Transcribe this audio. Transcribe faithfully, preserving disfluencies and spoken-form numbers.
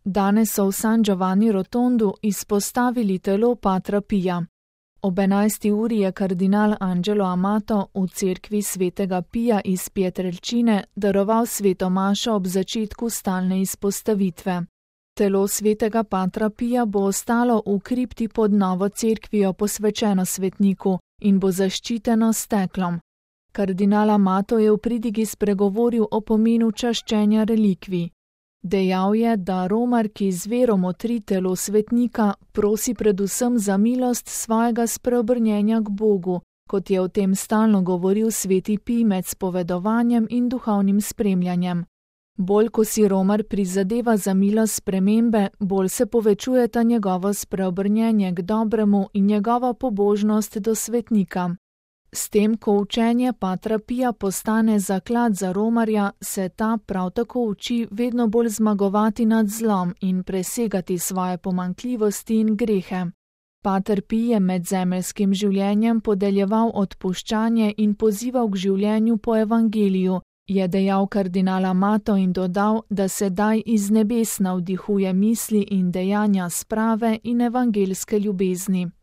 Danes so v San Giovanni Rotondu izpostavili telo patra Pija. Ob enajsti uri je kardinal Angelo Amato v cerkvi svetega Pija iz Pietrelcine daroval sveto mašo ob začetku stalne izpostavitve. Telo svetega patra Pija bo ostalo v kripti pod novo cerkvijo posvečeno svetniku in bo zaščiteno s steklom. Kardinal Amato je v pridigi spregovoril o pomenu čaščenja relikvij. Dejal je, da romar, ki z vero motri telo svetnika, prosi predvsem za milost svojega spreobrnjenja k Bogu, kot je o tem stalno govoril sveti Pij med spovedovanjem in duhovnim spremljanjem. Bolj ko si romar prizadeva za milost spremembe, bolj se povečujeta njegovo spreobrnjenje k dobremu in njegova pobožnost do svetnika. S tem, ko učenje patra Pija postane zaklad za romarja, se ta prav tako uči vedno bolj zmagovati nad zlom in presegati svoje pomanjkljivosti in grehe. Pater Pij je med zemeljskim življenjem podeljeval odpuščanje in pozival k življenju po evangeliju, je dejal kardinal Amato in dodal, da sedaj iz nebes navdihuje misli in dejanja sprave in evangelske ljubezni.